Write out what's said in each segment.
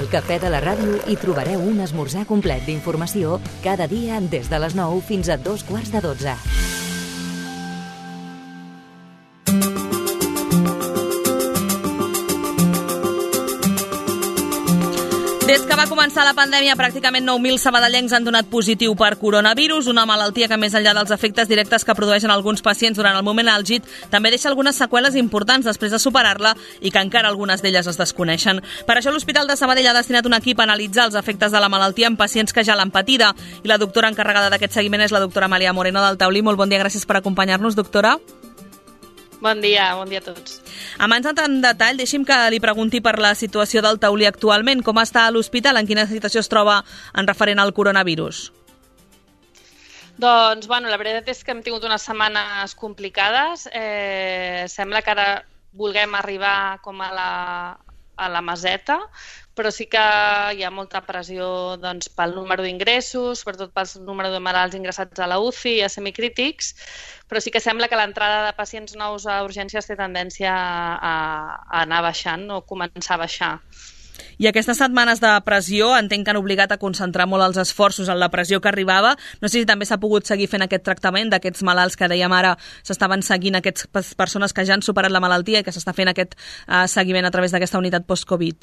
Al Cafè de la Ràdio hi trobareu un esmorzar complet d'informació cada dia des de les 9 fins a 11:45. Des que va començar la pandèmia, pràcticament 9.000 sabadellencs han donat positiu per coronavirus, una malaltia que, més enllà dels efectes directes que produeixen alguns pacients durant el moment àlgid, també deixa algunes seqüeles importants després de superar-la i que encara algunes d'elles es desconeixen. Per això l'Hospital de Sabadell ha destinat un equip a analitzar els efectes de la malaltia en pacients que ja l'han patida, i la doctora encarregada d'aquest seguiment és la doctora Amàlia Moreno del Taulí. Molt bon dia, gràcies per acompanyar-nos, doctora. Bon dia a tots. Abans d'entrar en detall, deixi'm que li pregunti per la situació del Taulí actualment. Com està a l'hospital? En quina situació es troba en referent al coronavirus? Doncs, la veritat és que hem tingut unes setmanes complicades. Sembla que ara vulguem arribar com a la meseta, però sí que hi ha molta pressió pel número d'ingressos, sobretot pel número de malalts ingressats a la UCI i a semicrítics, però sí que sembla que l'entrada de pacients nous a urgències té tendència a anar baixant o començar a baixar. I aquestes setmanes de pressió entenc que han obligat a concentrar molt els esforços en la pressió que arribava. No sé si també s'ha pogut seguir fent aquest tractament d'aquests malalts que dèiem ara, s'estaven seguint aquestes persones que ja han superat la malaltia i que s'està fent aquest seguiment a través d'aquesta unitat post-Covid.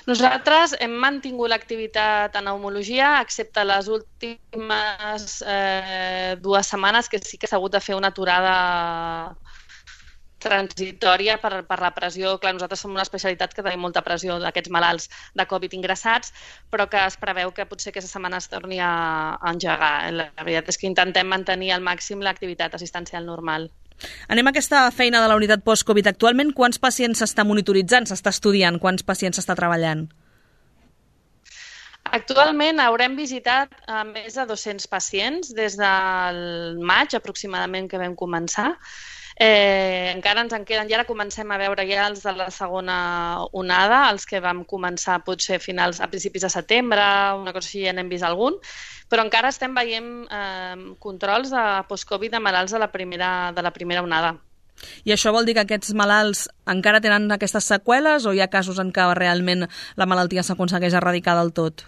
Nosaltres hem mantingut l'activitat en pneumologia, excepte les últimes 2 setmanes que sí que s'ha hagut de fer una aturada transitòria per la pressió. Clar, nosaltres som una especialitat que tenim molta pressió d'aquests malalts de Covid ingressats, però que es preveu que potser aquesta setmana es torni a engegar. La veritat és que intentem mantenir al màxim l'activitat assistencial normal. Anem a aquesta feina de la unitat post-Covid. Actualment, quants pacients s'està monitoritzant, s'està estudiant, quants pacients s'està treballant? Actualment haurem visitat més de 200 pacients des del maig aproximadament que vam començar. Encara ens en queden, i ara comencem a veure ja els de la segona onada, els que vam començar potser a principis de setembre, una cosa així, ja n'hem vist algun, però encara estem veient controls de post-Covid de malalts de la primera onada. I això vol dir que aquests malalts encara tenen aquestes seqüeles o hi ha casos en què realment la malaltia s'aconsegueix erradicar del tot?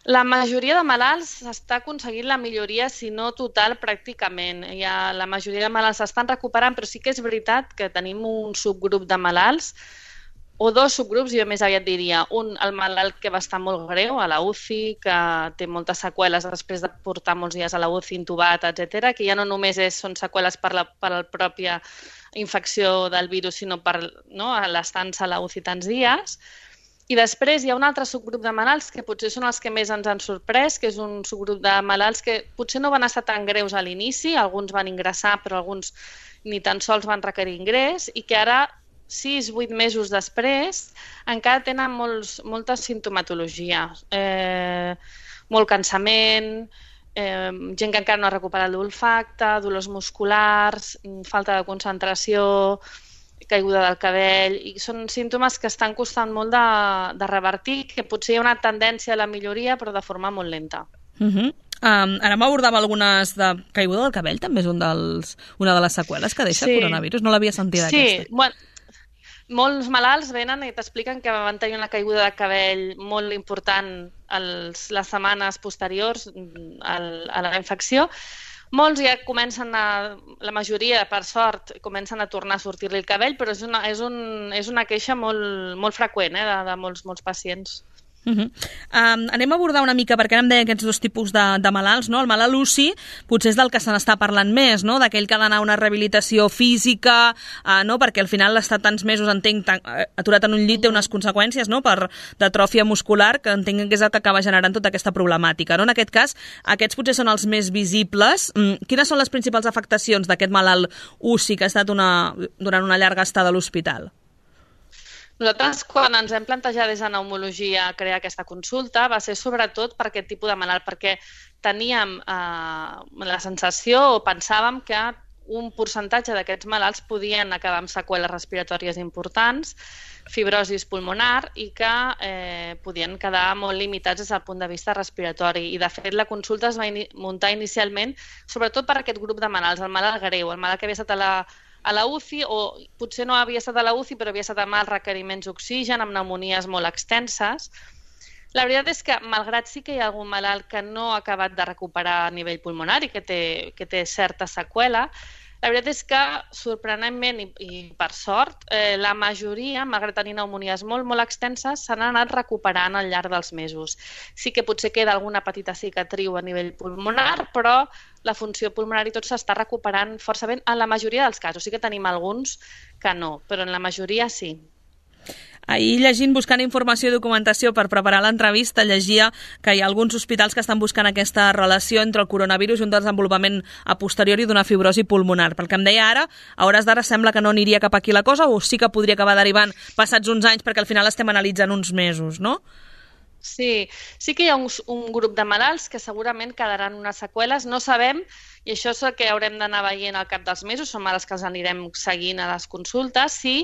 La majoria de malalts s'està aconseguint la milloria, si no total, pràcticament. La majoria de malalts s'estan recuperant, però sí que és veritat que tenim un subgrup de malalts, o 2 subgrups, jo més aviat diria. Un, el malalt que va estar molt greu a la UCI, que té moltes seqüeles després de portar molts dies a la UCI intubat, etc., que ja no només són seqüeles per la pròpia infecció del virus, sinó per l'estança a la UCI tants dies. I després hi ha un altre subgrup de malalts que potser són els que més ens han sorprès, que és un subgrup de malalts que potser no van estar tan greus a l'inici, alguns van ingressar però alguns ni tan sols van requerir ingrés, i que ara, 6-8 mesos després, encara tenen molta sintomatologia, molt cansament, gent que encara no ha recuperat l'olfacte, dolors musculars, falta de concentració, caiguda del cabell, i són símptomes que estan costant molt de revertir, que potser hi ha una tendència a la milloria, però de forma molt lenta. Ara m'abordava algunes de caiguda del cabell, també és una de les seqüeles que deixa el coronavirus, no l'havia sentit aquesta. Sí, molts malalts venen i t'expliquen que van tenir una caiguda de cabell molt important les setmanes posteriors a la infecció. Molts ja la majoria, per sort, comencen a tornar a sortir-li el cabell, però és una queixa molt freqüent de molts pacients. Anem a abordar una mica, perquè ara em deia aquests 2 tipus de malalts, no? El malalt UCI potser és del que se n'està parlant més, no? D'aquell que ha d'anar a una rehabilitació física, no? Perquè al final l'estar tants mesos, entenc, aturat en un llit té unes conseqüències, no? D'atròfia muscular, que entenc que és el que acaba generant tota aquesta problemàtica, no? En aquest cas, aquests potser són els més visibles. Quines són les principals afectacions d'aquest malalt UCI que ha estat durant una llarga estada a l'hospital? Nosaltres, quan ens hem plantejat des de pneumologia crear aquesta consulta, va ser sobretot per aquest tipus de malalt, perquè teníem la sensació o pensàvem que un percentatge d'aquests malalts podien acabar amb seqüeles respiratòries importants, fibrosis pulmonar, i que podien quedar molt limitats des del punt de vista respiratori. I, de fet, la consulta es va muntar inicialment sobretot per aquest grup de malalts, el malalt greu, el malalt que havia estat a la UCI, o potser no havia estat a la UCI, però havia estat amb alts requeriments d'oxigen, amb pneumonies molt extenses. La veritat és que, malgrat sí que hi ha algun malalt que no ha acabat de recuperar a nivell pulmonar i que té certa seqüela, la veritat és que, sorprenentment i per sort, la majoria, malgrat tenir pneumonies molt, molt extenses, s'han anat recuperant al llarg dels mesos. Sí que potser queda alguna petita cicatriu a nivell pulmonar, però la funció pulmonar i tot s'està recuperant força bé en la majoria dels casos. Sí que tenim alguns que no, però en la majoria sí. Ahir, llegint, buscant informació i documentació per preparar l'entrevista, llegia que hi ha alguns hospitals que estan buscant aquesta relació entre el coronavirus i un desenvolupament a posteriori d'una fibrosi pulmonar. Pel que em deia ara, a hores d'ara sembla que no aniria cap aquí la cosa, o sí que podria acabar derivant passats uns anys, perquè al final estem analitzant uns mesos, no? Sí que hi ha un grup de malalts que segurament quedaran unes seqüeles. No sabem, i això és el que haurem d'anar veient al cap dels mesos, són malalts que els anirem seguint a les consultes, si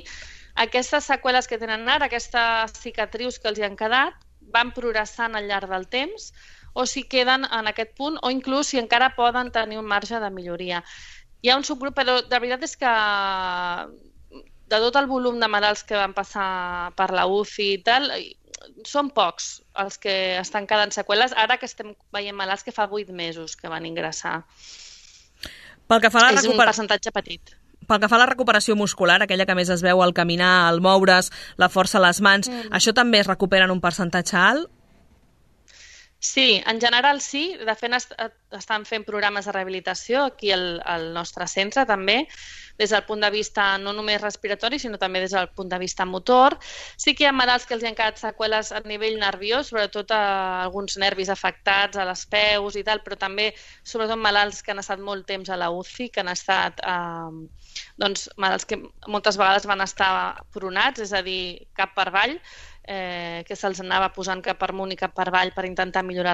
aquestes seqüeles que tenen ara, aquestes cicatrius que els hi han quedat, van progressant al llarg del temps, o si queden en aquest punt, o inclús si encara poden tenir un marge de milloria. Hi ha un subgrup, però la veritat és que de tot el volum de malalts que van passar per la UCI i tal, són pocs els que estan quedant seqüeles, ara que estem veient malalts que fa 8 mesos que van ingressar. És un percentatge petit. Pel que fa a la recuperació muscular, aquella que més es veu al caminar, al moure's, la força a les mans, això també es recupera en un percentatge alt? Sí, en general sí. De fet, estan fent programes de rehabilitació aquí al nostre centre també, des del punt de vista no només respiratori, sinó també des del punt de vista motor. Sí que hi ha malalts que els han quedat seqüeles a nivell nerviós, sobretot a alguns nervis afectats, a les peus i tal, però també sobretot malalts que han estat molt temps a la UCI, que han estat malalts que moltes vegades van estar pronats, és a dir, cap per avall, que se'ls anava posant cap per amunt i cap per avall per intentar millorar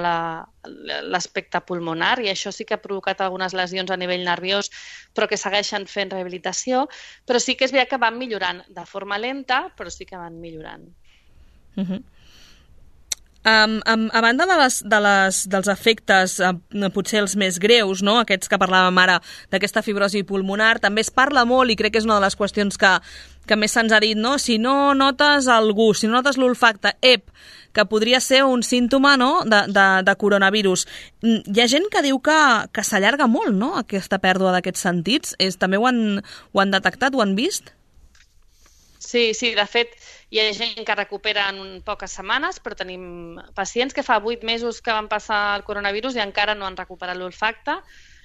l'aspecte pulmonar, i això sí que ha provocat algunes lesions a nivell nerviós, però que segueixen fent rehabilitació, però sí que és veritat que van millorant de forma lenta, però sí que van millorant. A banda dels efectes potser els més greus, no? Aquests que parlàvem ara d'aquesta fibrosi pulmonar, també es parla molt, i crec que és una de les qüestions que més se'ns ha dit, no? Si no notes el gust, si no notes l'olfacte, que podria ser un símptoma, no? de coronavirus. Hi ha gent que diu que s'allarga molt, no? Aquesta pèrdua d'aquests sentits. També ho han detectat, ho han vist? Sí, de fet, hi ha gent que recupera en poques setmanes, però tenim pacients que fa 8 mesos que van passar el coronavirus i encara no han recuperat l'olfacte.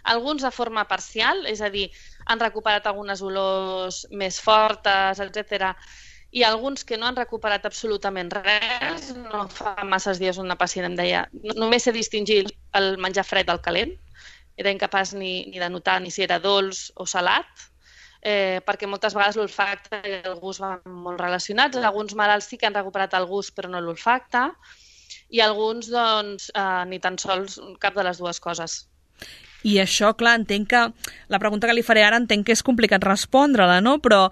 Alguns de forma parcial, és a dir, han recuperat algunes olors més fortes, etc. I alguns que no han recuperat absolutament res. No fa masses dies una pacient em deia només sé distingir el menjar fred del calent. Era incapaç ni de notar ni si era dolç o salat, perquè moltes vegades l'olfacte i el gust van molt relacionats. Alguns malalts sí que han recuperat el gust però no l'olfacte, i alguns doncs ni tan sols cap de les dues coses. I això, clar, entenc que la pregunta que li faré ara entenc que és complicat respondre-la, no? Però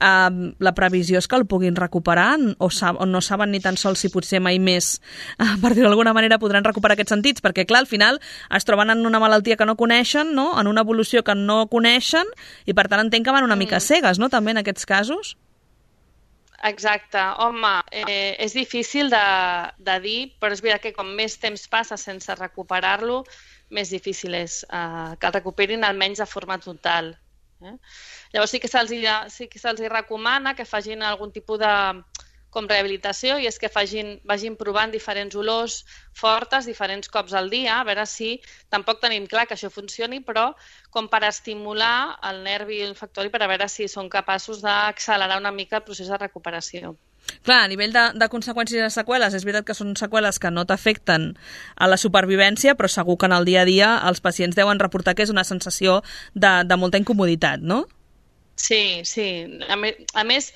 la previsió és que el puguin recuperar, o no saben ni tan sols si potser mai més, per dir-ho d'alguna manera, podran recuperar aquests sentits, perquè clar, al final es troben en una malaltia que no coneixen, no? En una evolució que no coneixen, i per tant entenc que van una mica cegues, no?, també en aquests casos. Exacte. Home, és difícil de dir, però és veritat que com més temps passa sense recuperar-lo, més difícil és que el recuperin almenys de forma total. Llavors sí que se'ls recomana que facin algun tipus de rehabilitació, i és que vagin provant diferents olors fortes, diferents cops al dia, a veure si tampoc tenim clar que això funcioni, però com per estimular el nervi olfactori, per a veure si són capaços d'accelerar una mica el procés de recuperació. Clar, a nivell de conseqüències i de seqüeles, és veritat que són seqüeles que no t'afecten a la supervivència, però segur que en el dia a dia els pacients deuen reportar que és una sensació de molta incomoditat, no? Sí. A més,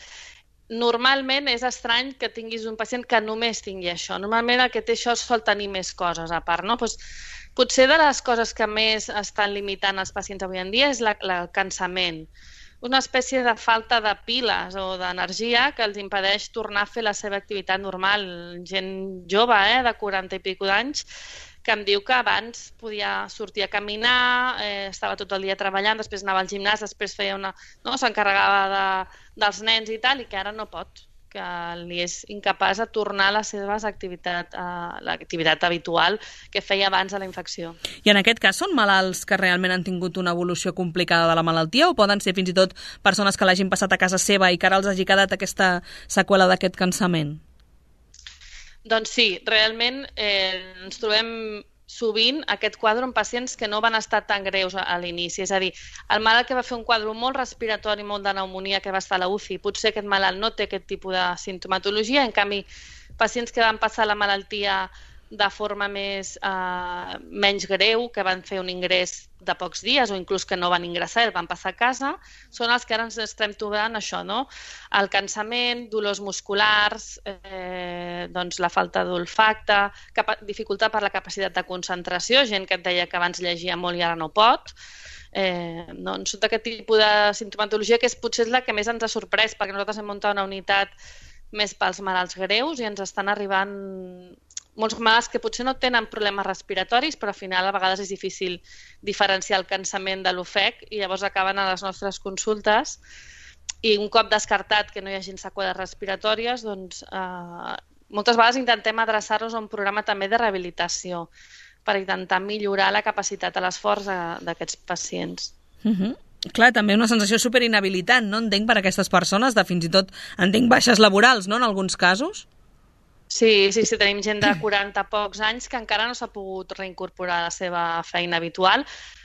normalment és estrany que tinguis un pacient que només tingui això. Normalment el que té això sol tenir més coses a part, no? Potser de les coses que més estan limitant els pacients avui en dia és el cansament. Una espècie de falta de piles o d'energia que els impedeix tornar a fer la seva activitat normal. Gent jove, de 40 i pico d'anys, que em diu que abans podia sortir a caminar, estava tot el dia treballant, després anava al gimnàs, després feia s'encarregava dels nens i tal, i que ara no pot, que li és incapaç de tornar a la seva l'activitat habitual que feia abans de la infecció. I en aquest cas són malalts que realment han tingut una evolució complicada de la malaltia o poden ser fins i tot persones que l'hagin passat a casa seva i que ara els hagi quedat aquesta seqüela d'aquest cansament? Doncs sí, realment ens trobem sovint aquest quadre en pacients que no van estar tan greus a l'inici. És a dir, el malalt que va fer un quadre molt respiratori, molt de pneumonia, que va estar a la UCI, potser aquest malalt no té aquest tipus de sintomatologia, en canvi, pacients que van passar la malaltia de forma menys greu, que van fer un ingrés de pocs dies o inclús que no van ingressar i van passar a casa, són els que ara ens estem trobant això, no? El cansament, dolors musculars, doncs la falta d'olfacte, dificultat per la capacitat de concentració, gent que et deia que abans llegia molt i ara no pot, doncs tot aquest tipus de sintomatologia que potser és la que més ens ha sorprès, perquè nosaltres hem muntat una unitat més pels malalts greus i ens estan arribant molts malalts que potser no tenen problemes respiratoris, però al final a vegades és difícil diferenciar el cansament de l'ofec i llavors acaben a les nostres consultes i un cop descartat que no hi hagi seqüeles respiratòries, doncs moltes vegades intentem adreçar-nos a un programa també de rehabilitació per intentar millorar la capacitat a l'esforç d'aquests pacients. Clar, també una sensació superinhabilitant, no? Entenc per a aquestes persones, de fins i tot entenc baixes laborals, no?, en alguns casos. Sí, tenim gent de 40 pocs anys que encara no s'ha pogut reincorporar a la seva feina habitual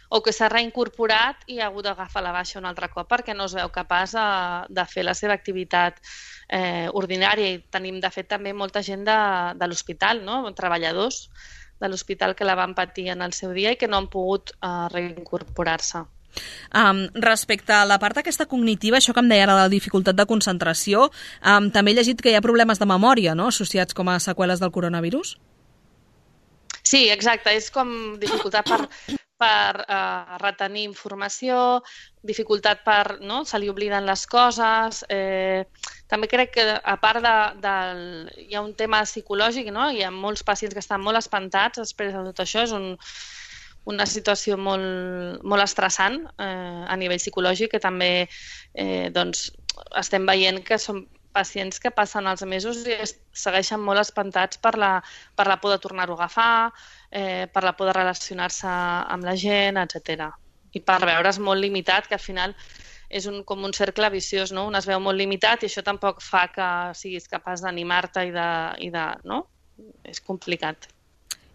o que s'ha reincorporat i ha hagut d'agafar la baixa un altre cop perquè no es veu capaç de fer la seva activitat ordinària. I tenim, de fet, també molta gent de l'hospital, no?, treballadors de l'hospital que la van patir en el seu dia i que no han pogut reincorporar-se. Respecte a la part aquesta cognitiva, això que em deia ara de la dificultat de concentració, també he llegit que hi ha problemes de memòria, no?, associats com a seqüeles del coronavirus? Sí, exacte, és com dificultat per retenir informació, dificultat per, no?, se li obliden les coses. També crec que a part hi ha un tema psicològic, no?, hi ha molts pacients que estan molt espantats després de tot això, és una situació molt estressant a nivell psicològic que també doncs, estem veient que són pacients que passen els mesos i segueixen molt espantats per la por de tornar-ho a agafar, per la por de relacionar-se amb la gent, etc. I per veure's molt limitat, que al final és com un cercle viciós, no? Un es veu molt limitat i això tampoc fa que siguis capaç d'animar-te i de... no? És complicat.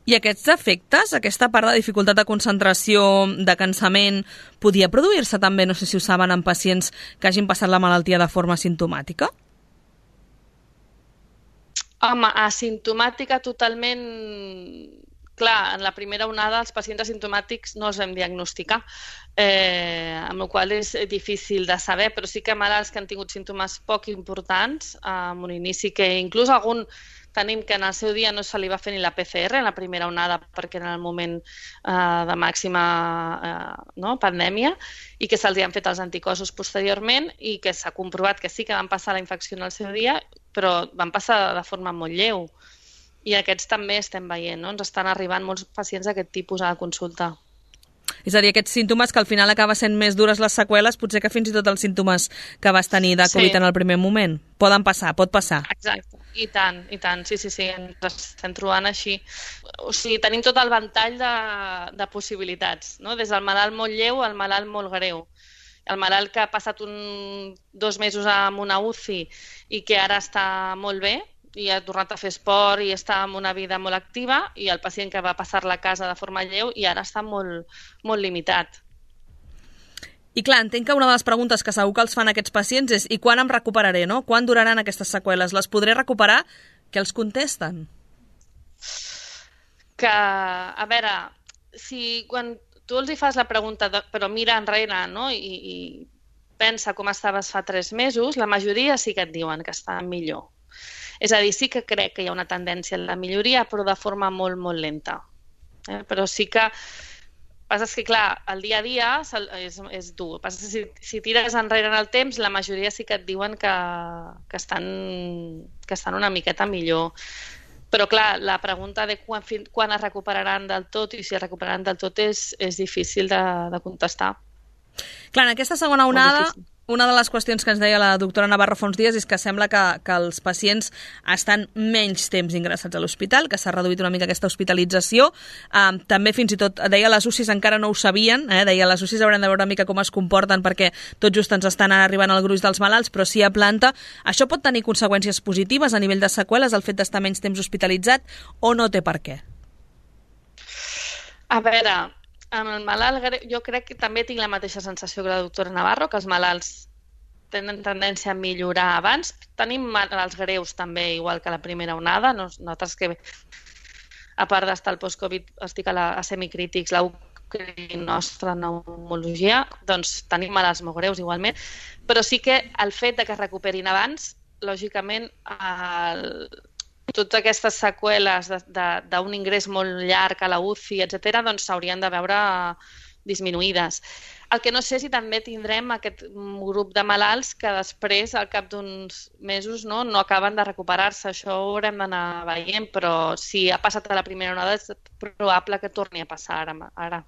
I aquests efectes, aquesta part de dificultat de concentració, de cansament, podia produir-se també, no sé si ho saben, en pacients que hagin passat la malaltia de forma asimptomàtica? Home, asimptomàtica totalment... Clar, en la primera onada els pacients asimptomàtics no els vam diagnosticar, amb la qual cosa és difícil de saber, però sí que malalts que han tingut símptomes poc importants, amb un inici que inclús algun tenim que en el seu dia no se li va fer ni la PCR en la primera onada perquè era el moment de màxima pandèmia i que se'ls han fet els anticossos posteriorment i que s'ha comprovat que sí que van passar la infecció en el seu dia, però van passar de forma molt lleu. I aquests també estem veient, no? Ens estan arribant molts pacients d'aquest tipus a la consulta. És a dir, aquests símptomes que al final acaba sent més dures les seqüeles, potser que fins i tot els símptomes que vas tenir de Covid en el primer moment. Pot passar. Exacte, i tant, sí, ens estem trobant així. O sigui, tenim tot el ventall de possibilitats, no? Des del malalt molt lleu al malalt molt greu. El malalt que ha passat 2 mesos amb una UCI i que ara està molt bé, i ha tornat a fer esport i està en una vida molt activa, i el pacient que va passar-la a casa de forma lleu i ara està molt, molt limitat. I clar, entenc que una de les preguntes que segur que els fan aquests pacients és i quan em recuperaré, no? Quan duraran aquestes seqüeles? Les podré recuperar? Què els contesten? Que, a veure, si quan tu els hi fas la pregunta, però mira enrere, no?, i pensa com estaves fa 3 mesos, la majoria sí que et diuen que estan millor. És a dir, sí que crec que hi ha una tendència a la milloria, però de forma molt, molt lenta. Però sí que... Passa que, clar, el dia a dia és dur. Passa que si tires enrere en el temps, la majoria sí que et diuen que estan una miqueta millor. Però, clar, la pregunta de quan es recuperaran del tot i si es recuperaran del tot és difícil de contestar. Clar, en aquesta segona onada, una de les qüestions que ens deia la doctora Navarro fa uns dies és que sembla que els pacients estan menys temps ingressats a l'hospital, que s'ha reduït una mica aquesta hospitalització. També fins i tot, deia, les UCIs encara no ho sabien, deia, les UCIs haurem de veure una mica com es comporten perquè tot just ens estan arribant al gruix dels malalts, però sí a planta. Això pot tenir conseqüències positives a nivell de seqüeles, el fet d'estar menys temps hospitalitzat, o no té per què? A veure, amb el malalt greu, jo crec que també tinc la mateixa sensació que la doctora Navarro, que els malalts tenen tendència a millorar abans. Tenim malalts greus també, igual que la primera onada. Nosaltres que, a part d'estar al post-Covid, estic a semicrítics, la UCRI nostra pneumologia, doncs tenim malalts molt greus igualment, però sí que el fet de que es recuperin abans, lògicament, totes aquestes seqüeles d'un ingrés molt llarg a la UCI, etc., doncs s'haurien de veure disminuïdes. El que no sé si també tindrem aquest grup de malalts que després, al cap d'uns mesos, no acaben de recuperar-se. Això ho haurem d'anar veient, però si ha passat a la primera onada és probable que torni a passar ara.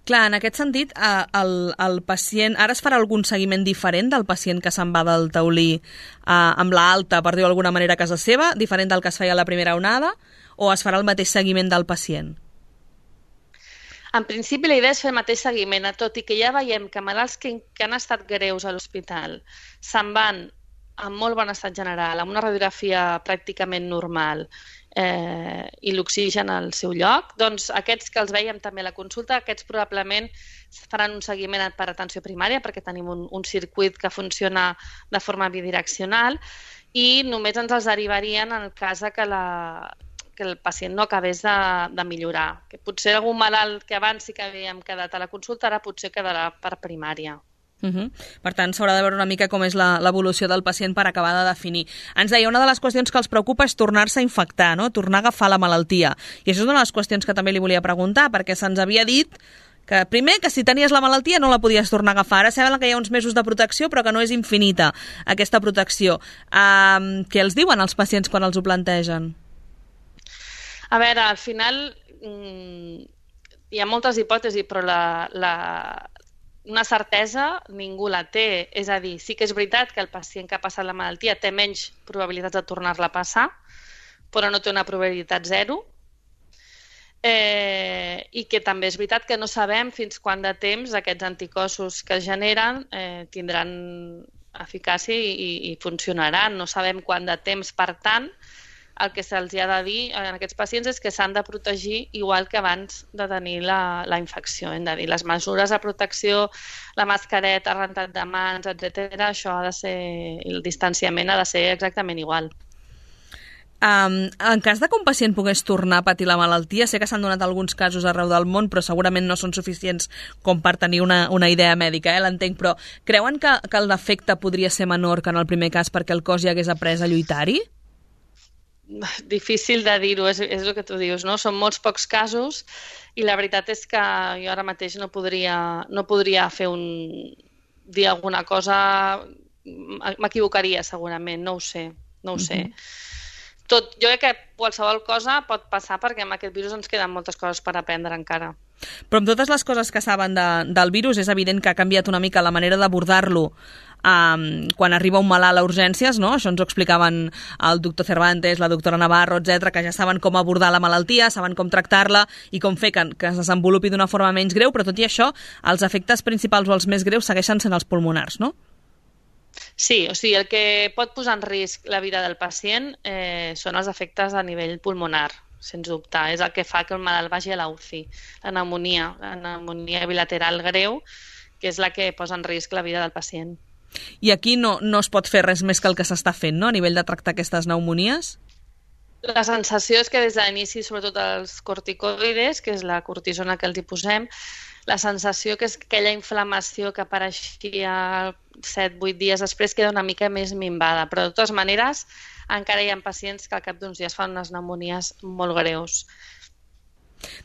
Clar, en aquest sentit, el pacient... Ara es farà algun seguiment diferent del pacient que se'n va del taulí amb l'alta, per dir-ho d'alguna manera, a casa seva, diferent del que es feia a la primera onada, o es farà el mateix seguiment del pacient? En principi, la idea és fer el mateix seguiment, tot i que ja veiem que malalts que han estat greus a l'hospital se'n van amb molt bon estat general, amb una radiografia pràcticament normal, i l'oxigen al seu lloc, doncs aquests que els veiem també a la consulta, aquests probablement faran un seguiment per atenció primària perquè tenim un circuit que funciona de forma bidireccional i només ens els derivarien en el cas que el pacient no acabés de millorar. Que potser algun malalt que abans sí que havíem quedat a la consulta ara potser quedarà per primària. Per tant, s'haurà de veure una mica com és l'evolució del pacient per acabar de definir. Ens deia, una de les qüestions que els preocupa és tornar-se a infectar, no? Tornar a agafar la malaltia. I això és una de les qüestions que també li volia preguntar, perquè se'ns havia dit que, primer, que si tenies la malaltia no la podies tornar a agafar. Ara sembla que hi ha uns mesos de protecció, però que no és infinita, aquesta protecció. Què els diuen els pacients quan els ho plantegen? A veure, al final hi ha moltes hipòtesis, però una certesa ningú la té. És a dir, sí que és veritat que el pacient que ha passat la malaltia té menys probabilitats de tornar-la a passar, però no té una probabilitat zero. I que també és veritat que no sabem fins quant de temps aquests anticossos que es generen tindran eficàcia i funcionaran. No sabem quant de temps, per tant, el que se'ls ha de dir a aquests pacients és que s'han de protegir igual que abans de tenir la infecció. Hem de dir, les mesures de protecció, la mascareta, rentat de mans, etc., això ha de ser, el distanciament ha de ser exactament igual. En cas de que un pacient pogués tornar a patir la malaltia, sé que s'han donat alguns casos arreu del món, però segurament no són suficients com per tenir una idea mèdica, l'entenc, però creuen que l'efecte podria ser menor que en el primer cas perquè el cos ja hagués après a lluitar-hi? Difícil de dir-ho, és el que tu dius, no? Són molts pocs casos i la veritat és que jo ara mateix no podria dir alguna cosa, m'equivocaria segurament, no ho sé. Jo crec que qualsevol cosa pot passar perquè amb aquest virus ens queden moltes coses per aprendre encara. Però amb totes les coses que saben del virus és evident que ha canviat una mica la manera d'abordar-lo quan arriba un malalt a urgències, no? Això ens ho explicaven el doctor Cervantes, la doctora Navarro, etc., que ja saben com abordar la malaltia, saben com tractar-la i com fer que es desenvolupi d'una forma menys greu, però tot i això, els efectes principals o els més greus segueixen sent els pulmonars, no? Sí, o sigui, el que pot posar en risc la vida del pacient són els efectes a nivell pulmonar, sens dubte. És el que fa que el malalt vagi a la UCI. La pneumònia bilateral greu, que és la que posa en risc la vida del pacient. I aquí no es pot fer res més que el que s'està fent, no?, a nivell de tractar aquestes pneumonies? La sensació és que des de l'inici, sobretot els corticoides, que és la cortisona que els hi posem, la sensació que és que aquella inflamació que apareixia 7-8 dies després queda una mica més minvada. Però de totes maneres encara hi ha pacients que al cap d'uns dies fan unes pneumonies molt greus.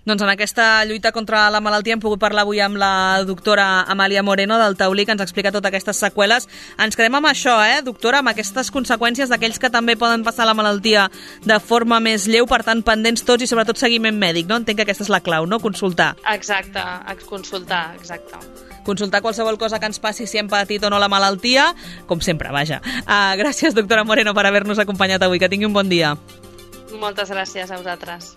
Doncs en aquesta lluita contra la malaltia hem pogut parlar avui amb la doctora Amàlia Moreno del Taulí, que ens explica totes aquestes seqüeles. Ens quedem amb això, doctora, amb aquestes conseqüències d'aquells que també poden passar la malaltia de forma més lleu, per tant, pendents tots i sobretot seguiment mèdic, no? Entenc que aquesta és la clau, no? Consultar. Exacte, consultar, exacte. Consultar qualsevol cosa que ens passi, si hem patit o no la malaltia, com sempre, vaja. Gràcies, doctora Moreno, per haver-nos acompanyat avui. Que tingui un bon dia. Moltes gràcies a vosaltres.